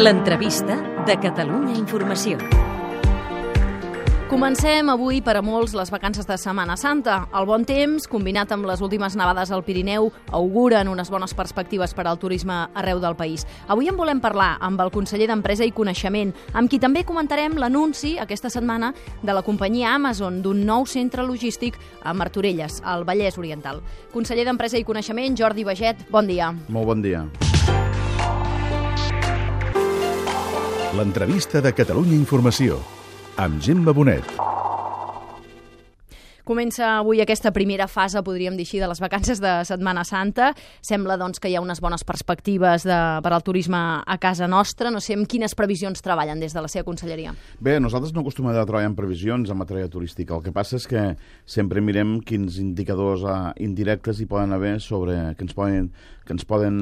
L'entrevista de Catalunya Informació. Comencem avui per a molts les vacances de Setmana Santa. El bon temps, combinat amb les últimes nevades al Pirineu, auguren unes bones perspectives per al turisme arreu del país. Avui en volem parlar amb el conseller d'Empresa i Coneixement, amb qui també comentarem l'anunci aquesta setmana de la companyia Amazon d'un nou centre logístic a Martorelles, al Vallès Oriental. Conseller d'Empresa i Coneixement, Jordi Baget, bon dia. Molt bon dia. L'entrevista de Catalunya Informació, amb Gemma Bonet. Comença avui aquesta primera fase, podríem dir així, de les vacances de Setmana Santa. Sembla, doncs, que hi ha unes bones perspectives per al turisme a casa nostra. No sé amb quines previsions treballen des de la seva conselleria. Bé, nosaltres no acostumem a treballar en previsions en matèria turística. El que passa és que sempre mirem quins indicadors indirectes hi poden haver que ens poden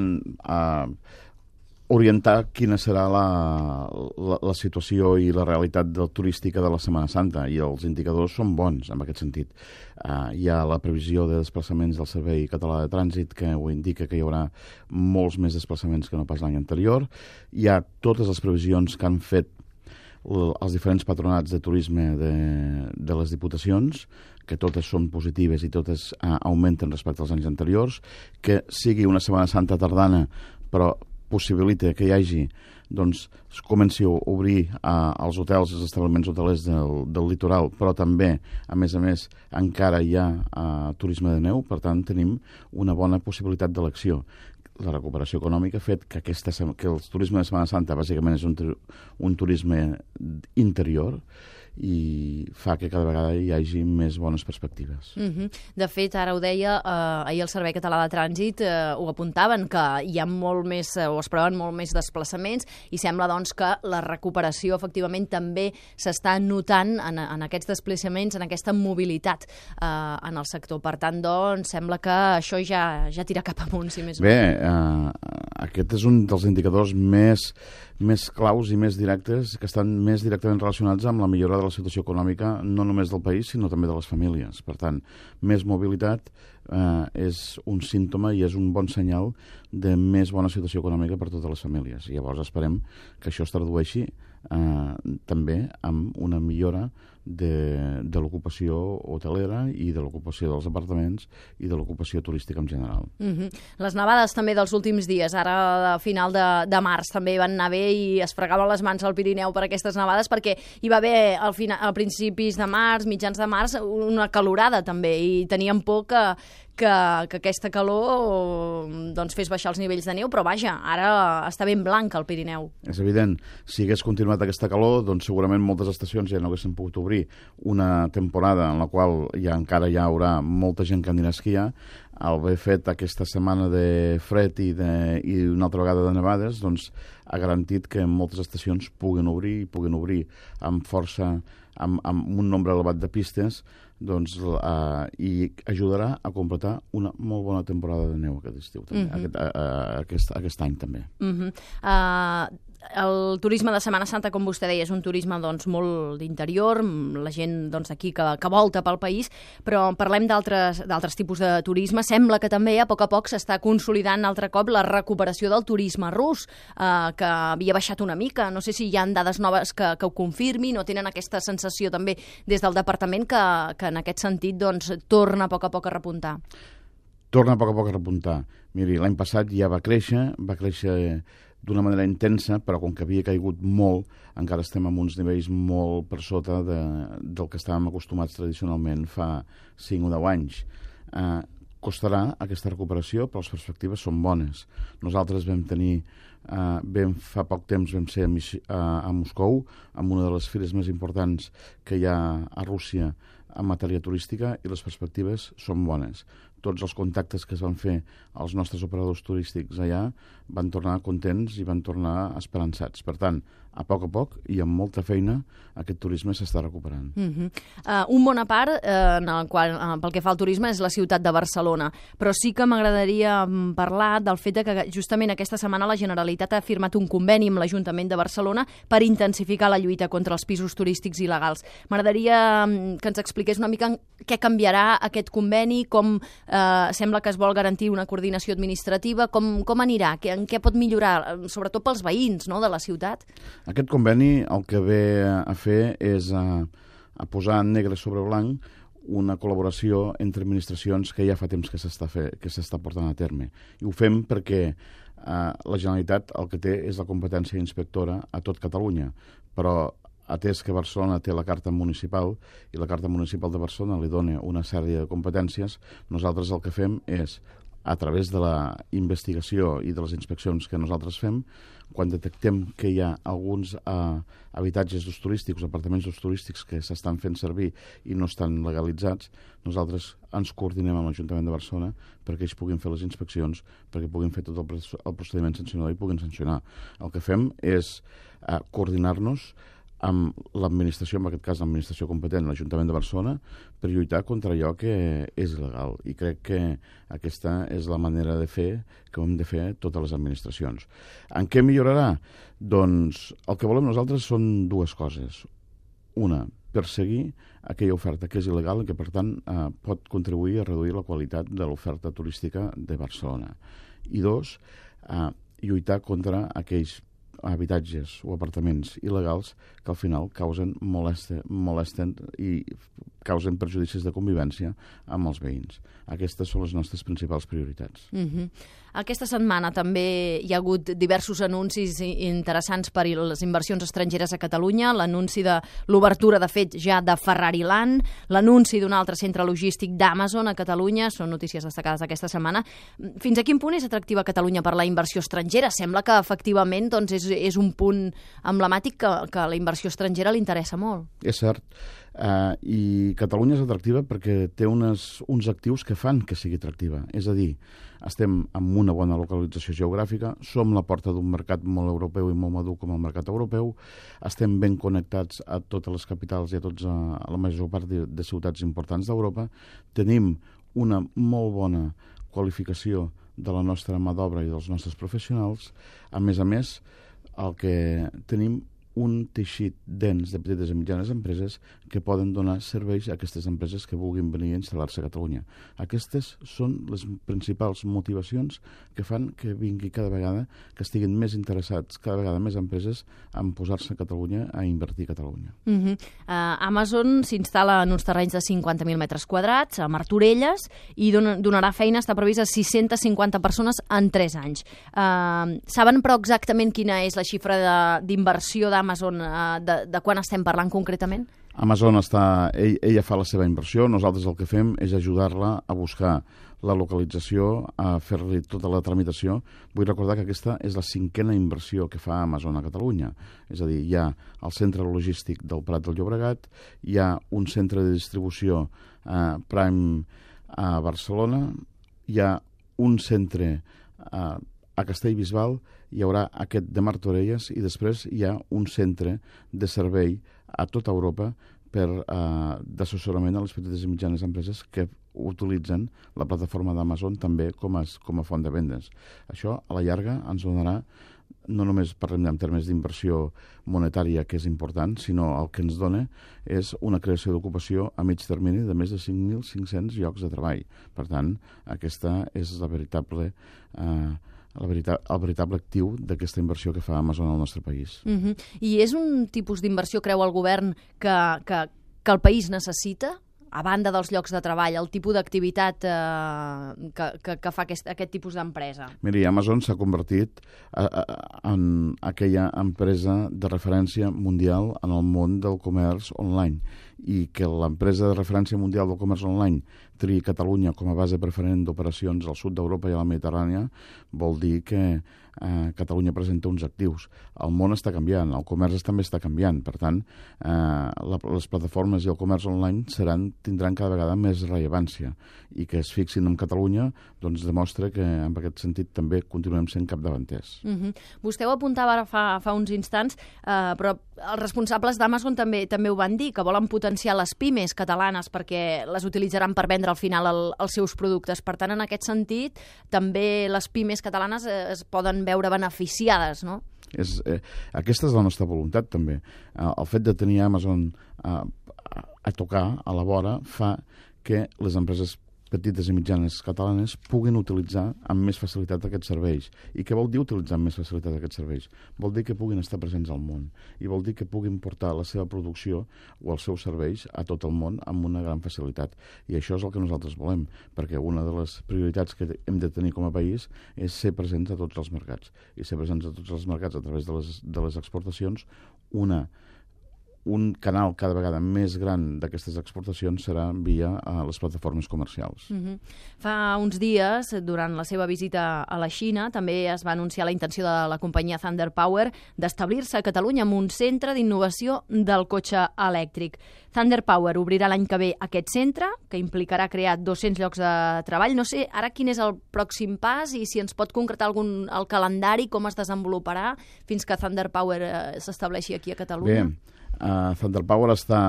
orientar quina serà la situació i la realitat turística de la Setmana Santa, i els indicadors són bons en aquest sentit. Hi ha la previsió de desplaçaments del Servei Català de Trànsit, que ho indica que hi haurà molts més desplaçaments que no pas l'any anterior. Hi ha totes les previsions que han fet els diferents patronats de turisme de les diputacions, que totes són positives i totes augmenten respecte als anys anteriors, que sigui una Setmana Santa tardana, però possibilita que hi hagi, doncs, comenci a obrir els hotels, els establiments hotelers del litoral, però també, a més, encara hi ha turisme de neu, per tant, tenim una bona possibilitat d'elecció. La recuperació econòmica ha fet que el turisme de Setmana Santa bàsicament és un turisme interior, i fa que cada vegada hi hagi més bones perspectives. De fet, ara ho deia, ahir el Servei Català de Trànsit ho apuntaven, que hi ha molt més, o es preveuen molt més desplaçaments, i sembla, doncs, que la recuperació, efectivament, també s'està notant en aquests desplaçaments, en aquesta mobilitat en el sector. Per tant, doncs, sembla que això ja tira cap amunt, si més no. Bé, aquest és un dels indicadors més claus i més directes, que estan més directament relacionats amb la millora de la situació econòmica, no només del país, sinó també de les famílies. Per tant, més mobilitat és un símptoma i és un bon senyal de més bona situació econòmica per totes les famílies. I llavors esperem que això es tradueixi també amb una millora de l'ocupació hotelera i de l'ocupació dels apartaments i de l'ocupació turística en general. Les nevades també dels últims dies, ara a final de març també van anar bé i es fregaven les mans al Pirineu per aquestes nevades, perquè hi va haver a principis de març, mitjans de març, una calorada també, i teníem por que aquesta calor doncs, fes baixar els nivells de neu, però vaja, ara està ben blanc el Pirineu. És evident, si hagués continuat aquesta calor, doncs segurament moltes estacions ja no haguessin pogut obrir una temporada en la qual encara hi haurà molta gent que anirà a esquiar. Al haver fet aquesta setmana de fred i una altra vegada de nevades, doncs ha garantit que moltes estacions puguin obrir amb força, amb un nombre elevat de pistes, doncs, i ajudarà a completar una molt bona temporada de neu aquest estiu, també, aquest any també. El turisme de Setmana Santa, com vostè deia, és un turisme, doncs, molt d'interior, la gent, doncs, aquí que volta pel país, però parlem d'altres tipus de turisme. Sembla que també a poc s'està consolidant altre cop la recuperació del turisme rus, que havia baixat una mica. No sé si hi ha dades noves que ho confirmin o tenen aquesta sensació també des del departament que en aquest sentit, doncs, torna a poc a repuntar. Torna a poc a repuntar. Miri, l'any passat ja va créixer d'una manera intensa, però com que havia caigut molt, encara estem en uns nivells molt per sota del que estàvem acostumats tradicionalment fa 5 o 10 anys. Costarà aquesta recuperació, però les perspectives són bones. Nosaltres fa poc temps vam ser a Moscou, amb una de les fires més importants que hi ha a Rússia en matèria turística, i les perspectives són bones. Tots els contactes que es van fer als nostres operadors turístics allà van tornar contents i van tornar esperançats. Per tant, a poc i amb molta feina aquest turisme s'està recuperant. Un bon a part en el qual, pel que fa al turisme és la ciutat de Barcelona, però sí que m'agradaria parlar del fet que justament aquesta setmana la Generalitat ha firmat un conveni amb l'Ajuntament de Barcelona per intensificar la lluita contra els pisos turístics il·legals. M'agradaria que ens expliqués una mica què canviarà aquest conveni, com sembla que es vol garantir una coordinació administrativa, com anirà, en què pot millorar, sobretot pels veïns, no?, de la ciutat. Aquest conveni el que ve a fer és a posar negre sobre blanc una col·laboració entre administracions que ja fa temps que s'està portant a terme. I ho fem perquè la Generalitat el que té és la competència inspectora a tot Catalunya, però atès que Barcelona té la Carta Municipal i la Carta Municipal de Barcelona li dona una sèrie de competències, nosaltres el que fem és, a través de la investigació i de les inspeccions que nosaltres fem, quan detectem que hi ha alguns habitatges d'ús turístics, apartaments d'ús turístics que s'estan fent servir i no estan legalitzats, nosaltres ens coordinem amb l'Ajuntament de Barcelona perquè ells puguin fer les inspeccions, perquè puguin fer tot el procediment sancionador i puguin sancionar. El que fem és coordinar-nos amb l'administració, en aquest cas l'administració competent, l'Ajuntament de Barcelona, per lluitar contra allò que és il·legal. I crec que aquesta és la manera de fer que hem de fer totes les administracions. En què millorarà? Doncs el que volem nosaltres són dues coses. Una, perseguir aquella oferta que és il·legal i que, per tant, pot contribuir a reduir la qualitat de l'oferta turística de Barcelona. I dos, lluitar contra aquells habitatges o apartaments il·legals que al final molesten i causen perjudicis de convivència amb els veïns. Aquestes són les nostres principals prioritats. Aquesta setmana també hi ha hagut diversos anuncis interessants per a les inversions estrangeres a Catalunya, l'anunci de l'obertura, de fet, ja de Ferrari Land, l'anunci d'un altre centre logístic d'Amazon a Catalunya, són notícies destacades aquesta setmana. Fins a quin punt és atractiva Catalunya per la inversió estrangera? Sembla que, efectivament, doncs, és un punt emblemàtic que la inversió estrangera li interessa molt. És cert. I Catalunya és atractiva perquè té uns actius que fan que sigui atractiva. És a dir, estem en una bona localització geogràfica, som la porta d'un mercat molt europeu i molt madur com el mercat europeu, estem ben connectats a totes les capitals i a la major part de ciutats importants d'Europa, tenim una molt bona qualificació de la nostra mà d'obra i dels nostres professionals. A més, el que tenim un teixit dens de petites i mitjanes empreses que poden donar serveis a aquestes empreses que vulguin venir a instal·lar-se a Catalunya. Aquestes són les principals motivacions que fan que vingui cada vegada, que estiguin més interessats, cada vegada més empreses, en posar-se a Catalunya, a invertir a Catalunya. Amazon s'instal·la en uns terrenys de 50.000 metres quadrats, a Martorelles, i donarà feina, està previst, a 650 persones en 3 anys. Saben, però, exactament quina és la xifra d'inversió d'Amazon, de quan estem parlant concretament? Amazon ella fa la seva inversió, nosaltres el que fem és ajudar-la a buscar la localització, a fer-li tota la tramitació. Vull recordar que aquesta és la 5a inversió que fa Amazon a Catalunya. És a dir, hi ha el centre logístic del Prat del Llobregat, hi ha un centre de distribució Prime a Barcelona, hi ha un centre a Castellbisbal, hi haurà aquest de Martorelles i després hi ha un centre de servei a tota Europa d'assessorament a les petites i mitjanes empreses que utilitzen la plataforma d'Amazon també com a font de vendes. Això, a la llarga, ens donarà, no només parlem en termes d'inversió monetària, que és important, sinó el que ens dona és una creació d'ocupació a mig termini de més de 5.500 llocs de treball. Per tant, aquesta és el veritable actiu d'aquesta inversió que fa Amazon al nostre país. I és un tipus d'inversió, creu el govern, que el país necessita? A banda dels llocs de treball, el tipus d'activitat que fa aquest tipus d'empresa? Miri, Amazon s'ha convertit en aquella empresa de referència mundial en el món del comerç online, i que l'empresa de referència mundial del comerç online triï Catalunya com a base preferent d'operacions al sud d'Europa i a la Mediterrània, vol dir que Catalunya presenta uns actius. El món està canviant, el comerç també està canviant, per tant, les plataformes i el comerç online tindran cada vegada més rellevància, i que es fixin en Catalunya doncs demostra que en aquest sentit també continuem sent capdavanters. Vostè ho apuntava fa uns instants, però els responsables d'Amazon també ho van dir, que volen potenciar les pimes catalanes perquè les utilitzaran per vendre al final els seus productes. Per tant, en aquest sentit, també les pimes catalanes es poden veure beneficiades, no? Aquesta és la nostra voluntat, també. El fet de tenir Amazon a tocar, a la vora, fa que les empreses petites i mitjanes catalanes puguin utilitzar amb més facilitat aquests serveis. I què vol dir utilitzar amb més facilitat aquests serveis? Vol dir que puguin estar presents al món i vol dir que puguin portar la seva producció o els seus serveis a tot el món amb una gran facilitat. I això és el que nosaltres volem, perquè una de les prioritats que hem de tenir com a país és ser presents a tots els mercats. I ser presents a tots els mercats a través de les exportacions, un canal cada vegada més gran d'aquestes exportacions serà via les plataformes comercials. Fa uns dies, durant la seva visita a la Xina, també es va anunciar la intenció de la companyia Thunder Power d'establir-se a Catalunya amb un centre d'innovació del cotxe elèctric. Thunder Power obrirà l'any que ve aquest centre, que implicarà crear 200 llocs de treball. No sé ara quin és el pròxim pas i si ens pot concretar el calendari, com es desenvoluparà fins que Thunder Power s'estableixi aquí a Catalunya. Bé, Thunder Power està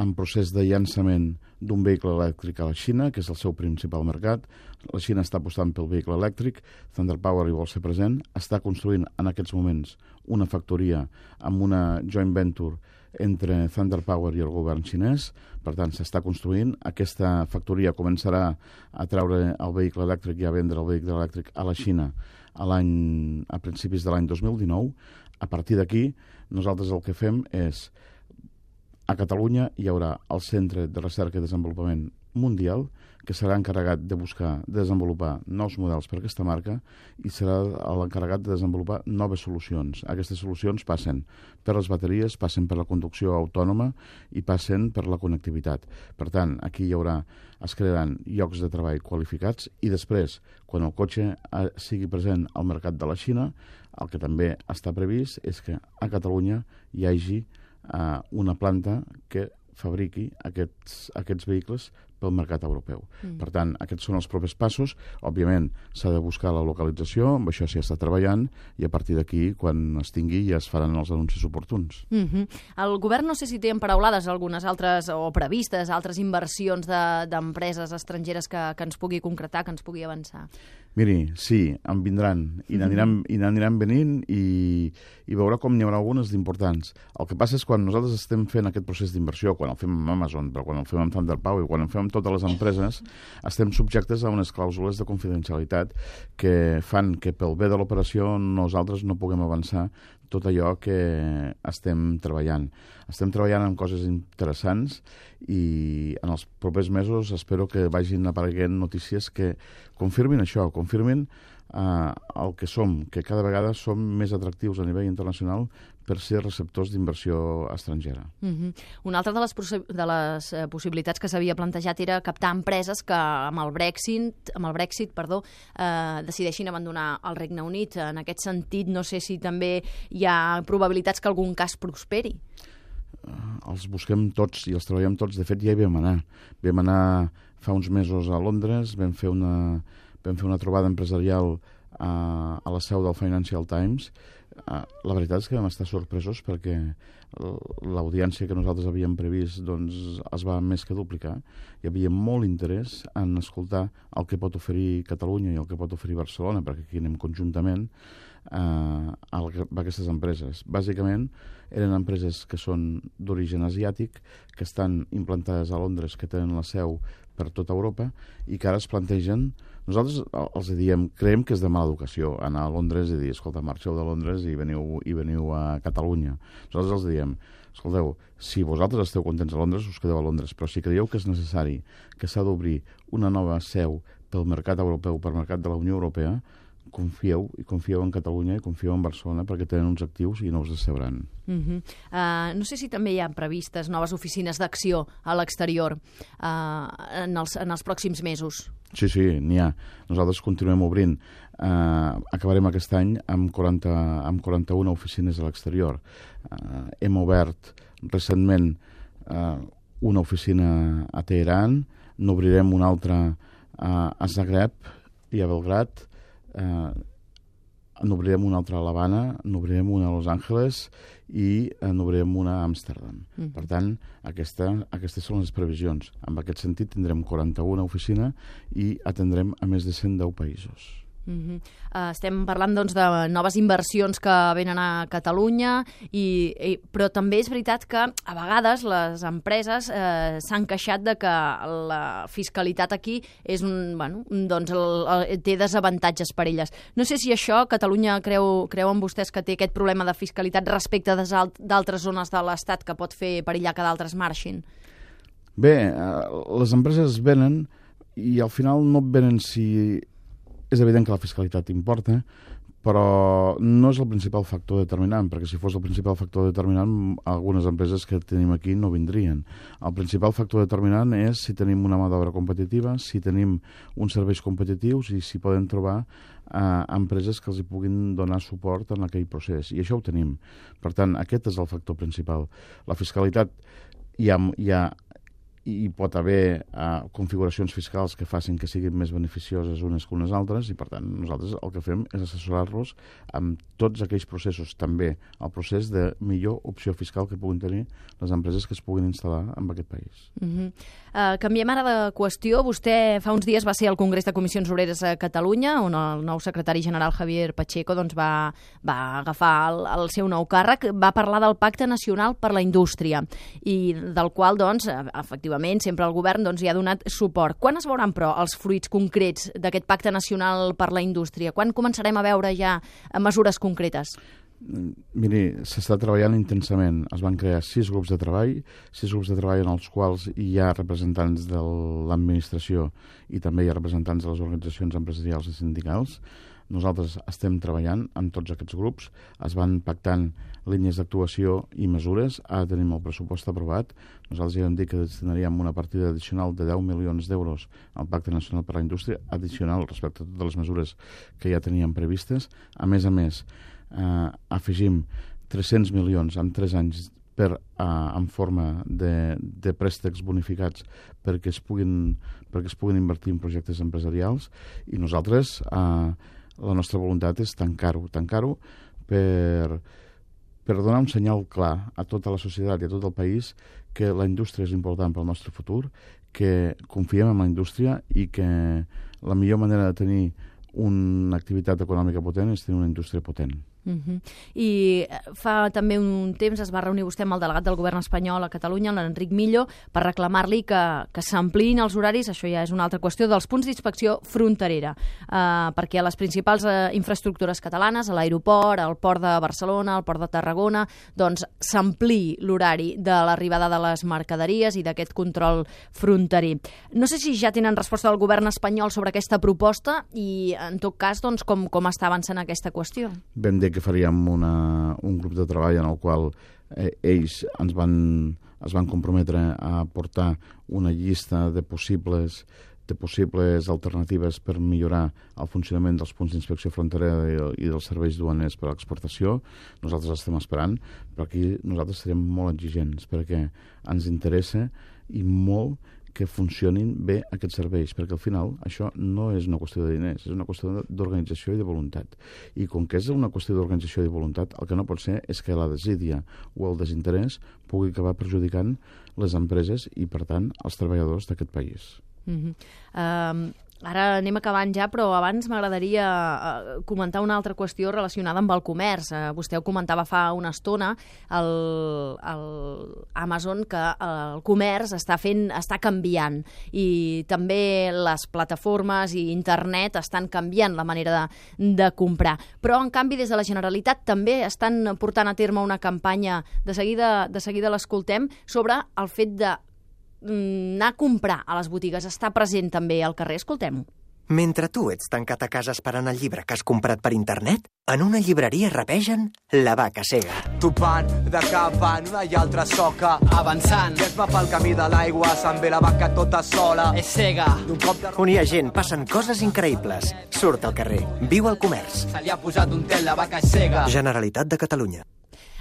en procés de llançament d'un vehicle elèctric a la Xina, que és el seu principal mercat. La Xina està apostant pel vehicle elèctric, Thunder Power hi vol ser present, està construint en aquests moments una factoria amb una joint venture entre Thunder Power i el govern xinès. Per tant, s'està construint. Aquesta factoria començarà a treure el vehicle elèctric i a vendre el vehicle elèctric a la Xina a principis de l'any 2019. A partir d'aquí, nosaltres el que fem és, a Catalunya hi haurà el Centre de Recerca i Desenvolupament Mundial, que serà encarregat de desenvolupar nous models per aquesta marca i serà l'encarregat de desenvolupar noves solucions. Aquestes solucions passen per les bateries, passen per la conducció autònoma i passen per la connectivitat. Per tant, aquí es crearan llocs de treball qualificats i després, quan el cotxe sigui present al mercat de la Xina, el que també està previst és que a Catalunya hi hagi una planta que fabriqui aquests vehicles pel mercat europeu. Per tant, aquests són els propers passos. Òbviament, s'ha de buscar la localització, amb això s'hi està treballant, i a partir d'aquí, quan es tingui, ja es faran els anuncis oportuns. El govern no sé si té emparaulades algunes altres, o previstes, altres inversions d'empreses estrangeres que ens pugui concretar, que ens pugui avançar. Miri, sí, en vindran, i n'aniran venint, i veurà com n'hi haurà algunes d'importants. El que passa és quan nosaltres estem fent aquest procés d'inversió, quan el fem amb Amazon, però quan el fem amb Thunder Power, quan el fem amb totes les empreses, estem subjectes a unes clàusules de confidencialitat que fan que pel bé de l'operació nosaltres no puguem avançar tot allò que estem treballant. Estem treballant en coses interessants i en els propers mesos espero que vagin apareguent notícies que confirmin això, confirmin el que som, que cada vegada som més atractius a nivell internacional per ser receptors d'inversió estrangera. Una altra de les possibilitats que s'havia plantejat era captar empreses que amb el Brexit decideixin abandonar el Regne Unit. En aquest sentit, no sé si també hi ha probabilitats que algun cas prosperi. Els busquem tots i els treballem tots. De fet, ja hi vam anar. Vam anar fa uns mesos a Londres, vam fer una trobada empresarial a la seu del Financial Times. La veritat és que vam estar sorpresos perquè l'audiència que nosaltres havíem previst es va més que duplicar. Hi havia molt interès en escoltar el que pot oferir Catalunya i el que pot oferir Barcelona, perquè aquí anem conjuntament a aquestes empreses. Bàsicament, eren empreses que són d'origen asiàtic, que estan implantades a Londres, que tenen la seu per tota Europa i que ara es plantegen. Nosaltres els diem, creiem que és de mala educació anar a Londres i dir, escolta, marxeu de Londres i veniu a Catalunya. Nosaltres els diem, escolteu, si vosaltres esteu contents a Londres, us quedeu a Londres, però si creieu que és necessari, que s'ha d'obrir una nova seu pel mercat europeu, pel mercat de la Unió Europea, confieu en Catalunya i confieu en Barcelona perquè tenen uns actius i no us decebran. No sé si també hi ha previstes noves oficines d'acció a l'exterior en els pròxims mesos. Sí, n'hi ha. Nosaltres continuem obrint. Acabarem aquest any amb 41 oficines a l'exterior. Hem obert recentment una oficina a Teheran, n'obrirem una altra a Zagreb i a Belgrad, n'obrirem una altra a l'Havana, n'obrirem una a Los Angeles i n'obrirem una a Amsterdam. Per tant, aquestes són les previsions. En aquest sentit, tindrem 41 oficines i atendrem a més de 110 països. Estem parlant doncs, de noves inversions que venen a Catalunya, però també és veritat que a vegades les empreses s'han queixat de que la fiscalitat aquí és té desavantatges per elles. No sé si això Catalunya creuen vostès que té aquest problema de fiscalitat respecte d'altres zones de l'Estat que pot fer perillar que d'altres marxin. Bé, les empreses venen i al final no venen si... És evident que la fiscalitat importa, però no és el principal factor determinant, perquè si fos el principal factor determinant, algunes empreses que tenim aquí no vindrien. El principal factor determinant és si tenim una mà d'obra competitiva, si tenim uns serveis competitius i si podem trobar empreses que els hi puguin donar suport en aquell procés. I això ho tenim. Per tant, aquest és el factor principal. La fiscalitat hi pot haver configuracions fiscals que facin que siguin més beneficioses unes que unes altres i, per tant, nosaltres el que fem és assessorar-los amb tots aquells processos, també el procés de millor opció fiscal que puguin tenir les empreses que es puguin instal·lar en aquest país. Canviem ara de qüestió. Vostè fa uns dies va ser al Congrés de Comissions Obreres a Catalunya, on el nou secretari general Javier Pacheco va agafar el seu nou càrrec, va parlar del Pacte Nacional per la Indústria i del qual, efectivament, sempre el govern hi ha donat suport. Quan es veuran, però, els fruits concrets d'aquest Pacte Nacional per la Indústria? Quan començarem a veure ja mesures concretes? Miri, s'està treballant intensament. Es van crear 6 grups de treball en els quals hi ha representants de l'administració i també hi ha representants de les organitzacions empresarials i sindicals. Nosaltres estem treballant amb tots aquests grups, es van pactant línies d'actuació i mesures. Ara tenim el pressupost aprovat. Nosaltres ja vam dir que destinaríem una partida addicional de 10 milions d'euros al Pacte Nacional per a la Indústria, addicional respecte a totes les mesures que ja teníem previstes. A més, afegim 300 milions en 3 anys en forma de préstecs bonificats perquè es puguin invertir en projectes empresarials i nosaltres la nostra voluntat és tancar-ho per donar un senyal clar a tota la societat i a tot el país que la indústria és important pel nostre futur, que confiem en la indústria i que la millor manera de tenir una activitat econòmica potent és tenir una indústria potent. I fa també un temps es va reunir vostè amb el delegat del govern espanyol a Catalunya, l'Enric Millo, per reclamar-li que s'ampliïn els horaris, això ja és una altra qüestió, dels punts d'inspecció fronterera, perquè a les principals infraestructures catalanes, a l'aeroport, al port de Barcelona, al port de Tarragona, doncs s'ampliï l'horari de l'arribada de les mercaderies i d'aquest control fronterer. No sé si ja tenen resposta del govern espanyol sobre aquesta proposta i, en tot cas, doncs, com està avançant aquesta qüestió. Vam dir que faríem un grup de treball en el qual ells es van comprometre a portar una llista de possibles alternatives per millorar el funcionament dels punts d'inspecció fronterera i dels serveis duaners per a l'exportació. Nosaltres estem esperant, però aquí nosaltres serem molt exigents perquè ens interessa i molt que funcionin bé aquests serveis, perquè al final això no és una qüestió de diners, és una qüestió d'organització i de voluntat. I com que és una qüestió d'organització i de voluntat, el que no pot ser és que la desídia o el desinterès pugui acabar perjudicant les empreses i, per tant, els treballadors d'aquest país. Ara anem acabant ja, però abans m'agradaria comentar una altra qüestió relacionada amb el comerç. Vostè ho comentava fa una estona, Amazon, que el comerç està canviant i també les plataformes i internet estan canviant la manera de comprar. Però, en canvi, des de la Generalitat també estan portant a terme una campanya, de seguida l'escoltem, sobre el fet de anar a comprar a les botigues. Està present també al carrer, escoltem-ho. Mentre tu ets tancat a casa esperant el llibre que has comprat per internet, en una llibreria rapegen La vaca cega. Topant de cap en una i altra soca, avançant, i es va pel camí de l'aigua, se'n ve la vaca tota sola. és cega, D'un cop de On hi ha gent, passen coses increïbles. Surt al carrer, viu al comerç. se li ha posat un tel, la vaca és cega. Generalitat de Catalunya.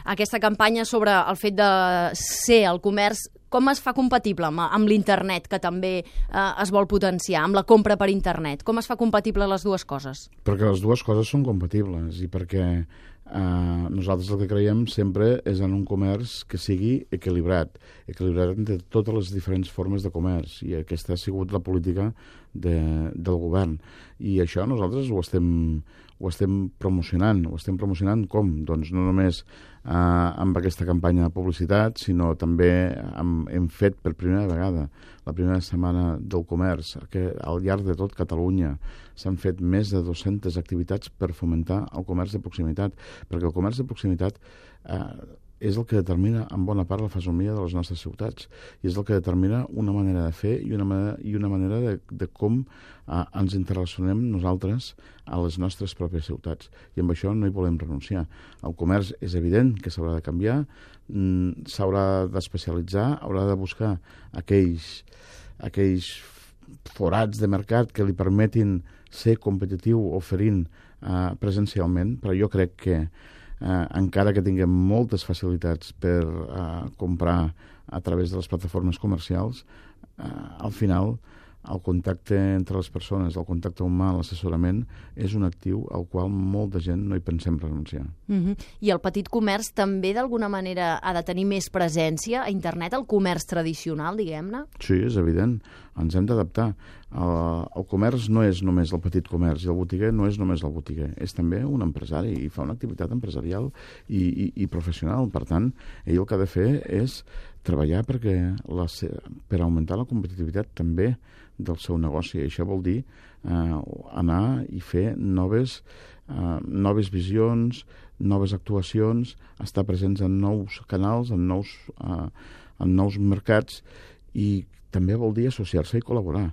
Aquesta campanya sobre el fet de ser al comerç, com es fa compatible amb l'internet, que també es vol potenciar, amb la compra per internet? Com es fa compatible les dues coses? Perquè les dues coses són compatibles i perquè nosaltres el que creiem sempre és en un comerç que sigui equilibrat entre totes les diferents formes de comerç, i aquesta ha sigut la política del govern, i això nosaltres ho estem promocionant com? Doncs no només amb aquesta campanya de publicitat, sinó també hem fet per primera vegada la primera setmana del comerç, que al llarg de tot Catalunya s'han fet més de 200 activitats per fomentar el comerç de proximitat, perquè el comerç de proximitat és el que determina en bona part la fesomia de les nostres ciutats, i és el que determina una manera de fer i una manera de com ens interrelacionem nosaltres a les nostres pròpies ciutats, i amb això no hi volem renunciar. El comerç és evident que s'haurà de canviar, s'haurà d'especialitzar, haurà de buscar aquells forats de mercat que li permetin ser competitiu oferint presencialment, però jo crec que encara que tinguem moltes facilitats per comprar a través de les plataformes comercials, al final el contacte entre les persones, el contacte humà, l'assessorament, és un actiu al qual molta gent no hi pensem renunciar. I el petit comerç també d'alguna manera ha de tenir més presència a internet, el comerç tradicional, diguem-ne? Sí, és evident. Ens hem d'adaptar. El comerç no és només el petit comerç, i el botiguer no és només el botiguer, és també un empresari i fa una activitat empresarial i professional. Per tant, ell el que ha de fer és treballar per augmentar la competitivitat també del seu negoci. Això vol dir anar i fer noves visions, noves actuacions, estar presents en nous canals, en nous mercats, i també vol dir associar-se i col·laborar.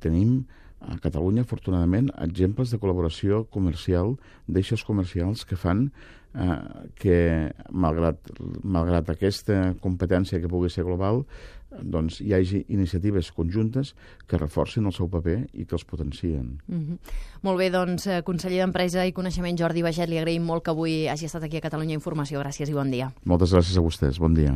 Tenim a Catalunya, afortunadament, exemples de col·laboració comercial d'eixos comercials que fan que, malgrat aquesta competència que pugui ser global, doncs hi hagi iniciatives conjuntes que reforcin el seu paper i que els potencien. Molt bé, doncs, conseller d'Empresa i Coneixement Jordi Baiget, li agraïm molt que avui hagi estat aquí a Catalunya Informació. Gràcies i bon dia. Moltes gràcies a vostès. Bon dia.